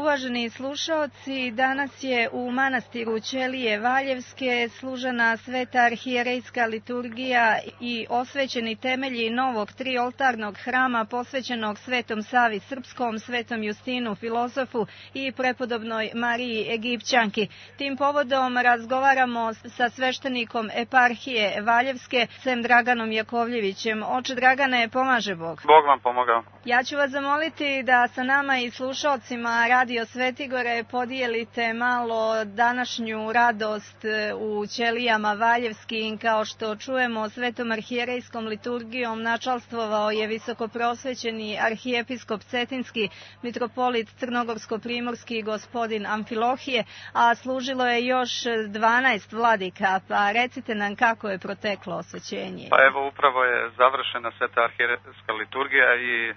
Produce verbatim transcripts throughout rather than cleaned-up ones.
uvaženi slušaoci, danas je u manastiru Ćelije Valjevske služena sveta arhijerejska liturgija i osvećeni temelji novog trioltarnog hrama posvećenog Svetom Savi Srpskom, Svetom Justinu Filozofu i prepodobnoj Mariji Egipćanki. Tim povodom razgovaramo sa sveštenikom eparhije Valjevske, sem Draganom Jakovljevićem. Oče Dragane, pomaže Bog. Bog vam pomogao. Ja ću vas zamoliti da sa nama i slušalcima Radio Svetigore podijelite malo današnju radost u Ćelijama Valjevskim. Kao što čujemo, svetom arhijerejskom liturgijom načalstvovao je visokoprosvećeni arhijepiskop Cetinski, mitropolit Crnogorsko-primorski gospodin Amfilohije, a služilo je još dvanaest vladika. Pa recite nam kako je proteklo osvećenje. Pa evo, upravo je završena sveta arhijerejska liturgija i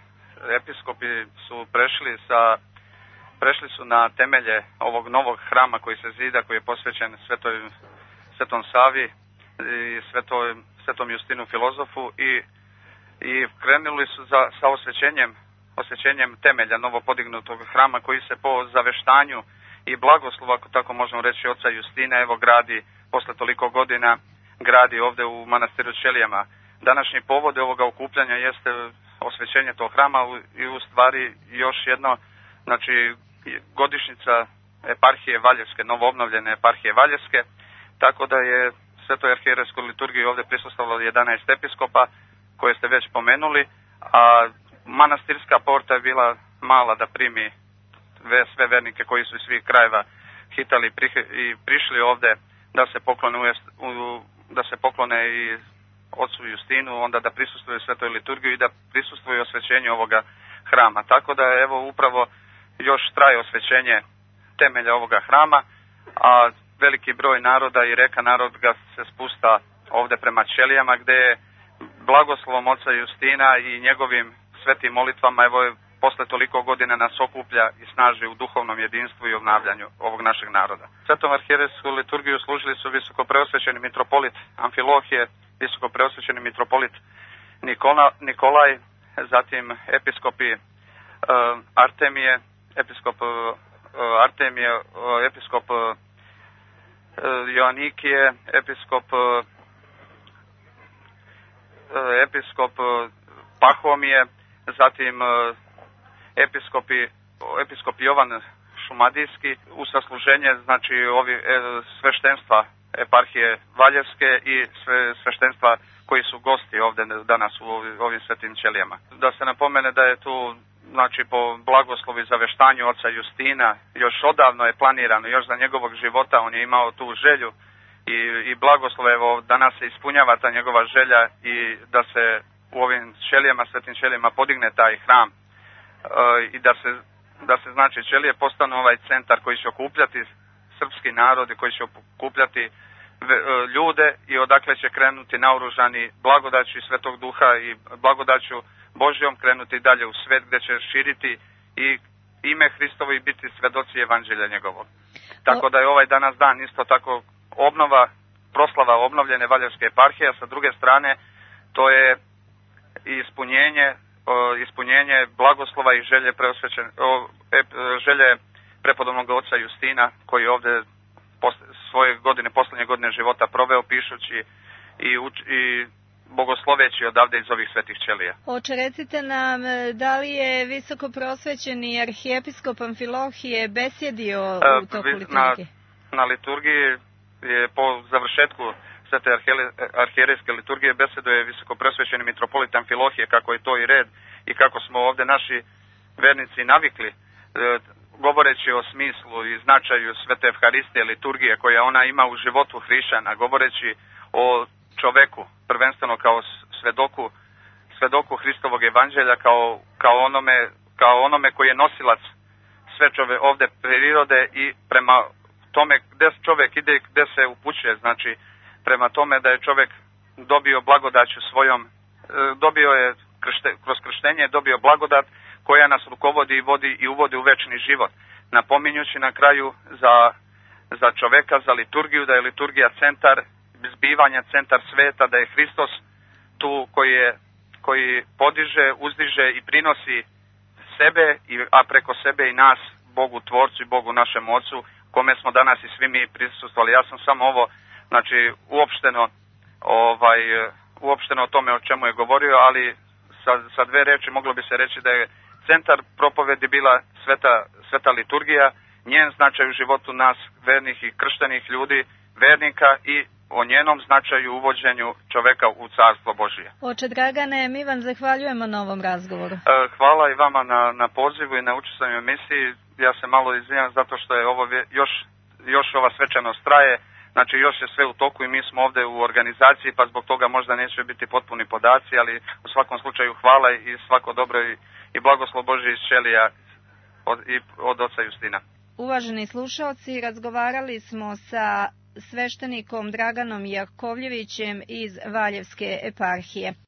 episkopi su prešli sa prešli su na temelje ovog novog hrama koji se zida, koji je posvećen Svetoj, Svetom Savi i Svetoj, Svetom Justinu Filozofu i, i krenuli su za, sa osvećenjem, osvećenjem temelja novopodignutog hrama koji se po zaveštanju i blagoslovu, ako tako možemo reći, oca Justina, evo gradi, posle toliko godina, gradi ovde u manastiru Ćelijama. Današnji povod ovoga okupljanja jeste osvećenje tog hrama i u stvari još jedno, znači godišnjica eparhije Valjevske, novoobnovljene eparhije Valjevske, tako da je svetoj arhijerejskoj liturgiji ovde prisustvovalo jedanaest episkopa koje ste već pomenuli, a manastirska porta je bila mala da primi sve vernike koji su iz svih krajeva hitali i prišli ovde da se poklone, da se poklone i ocu Justinu, onda da prisustvuju svetoj liturgiji i da prisustvuju osvećenju ovoga hrama. Tako da evo upravo još traje osvećenje temelja ovoga hrama, a veliki broj naroda i reka naroda se spusta ovde prema Ćelijama, gde je blagoslovom oca Justina i njegovim svetim molitvama, evo posle toliko godina nas okuplja i snaži u duhovnom jedinstvu i obnavljanju ovog našeg naroda. Svetom arhijerejsku liturgiju služili su visokopreosvećeni mitropolit Amfilohije, visokopreosvećeni mitropolit Nikola, Nikolaj, zatim episkopi uh, Artemije, episkop uh, Artemije, uh, episkop uh, Joanikije, episkop uh, episkop uh, Pahomije, zatim uh, episkopi, episkop Jovan Šumadijski, u sasluženje, znači ovi e, sveštenstva eparhije Valjevske i sve sveštenstva koji su gosti ovde danas u ovim svetim Ćelijama. Da se napomene da je tu, znači po blagoslovi zaveštanju oca Justina, još odavno je planirano, još za njegovog života on je imao tu želju i, i blagoslov, evo danas se ispunjava ta njegova želja i da se u ovim Ćelijama, svetim Ćelijama podigne taj hram e, i da se, da se znači Ćelije postanu ovaj centar koji će okupljati srpski narod i koji će okupljati ljude i odakle će krenuti naoružani blagodaću Svetog Duha i blagodaću Božjom krenuti dalje u svet gde će širiti i ime Hristovo i biti svedoci evanđelja njegovog. Tako da je ovaj danas dan isto tako obnova, proslava obnovljene Valjevske eparhije, a sa druge strane to je ispunjenje, ispunjenje blagoslova i želje preosvećen, želje prepodobnog oca Justina koji ovde svoje godine, poslednje godine života proveo pišući i, uč, i bogosloveći odavde iz ovih svetih Ćelija. Oče, recite nam, da li je visoko prosvećeni arhijepiskop Amfilohije besjedio u toku liturgije? Na, na liturgiji je po završetku svete arhijerejske liturgije beseduje visoko prosvećeni mitropolit Amfilohije, kako je to i red i kako smo ovde naši vernici navikli, govoreći o smislu i značaju svete Evharistije, liturgije koja ona ima u životu hrišćana, govoreći o čoveku, prvenstveno kao svedoku, svedoku Hristovog evanđelja, kao, kao, onome, kao onome koji je nosilac sve čove ovde prirode i prema tome gde čovek ide, gde se upućuje, znači prema tome da je čovek dobio blagodaću svojom, dobio je kršte, kroz krštenje dobio blagodat koja nas rukovodi i vodi i uvodi u večni život. Napominjući na kraju za, za čoveka, za liturgiju, da je liturgija centar zbivanja, centar sveta, da je Hristos tu koji, je, koji podiže, uzdiže i prinosi sebe, a preko sebe i nas Bogu Tvorcu i Bogu našem Ocu, kome smo danas i svi mi prisustvovali. Ja sam samo ovo, znači, uopšteno, ovaj, uopšteno o tome o čemu je govorio, ali sa, sa dve reči moglo bi se reći da je centar propovedi bila sveta, sveta liturgija, njen značaj u životu nas, vernih i krštenih ljudi, vernika, i o njenom značaju uvođenju čoveka u Carstvo Božije. Oče Dragane, mi vam zahvaljujemo na ovom razgovoru. Hvala i vama na, na pozivu i na učestvanju u emisiji. Ja se malo izvinjam zato što je ovo još, još ova svečanost traje, znači još je sve u toku i mi smo ovde u organizaciji, pa zbog toga možda neće biti potpuni podaci, ali u svakom slučaju hvala i svako dobro i, i blagoslov Božji iz Ćelija od, i od oca Justina. Uvaženi slušaoci, razgovarali smo sa sveštenikom Draganom Jakovljevićem iz Valjevske eparhije.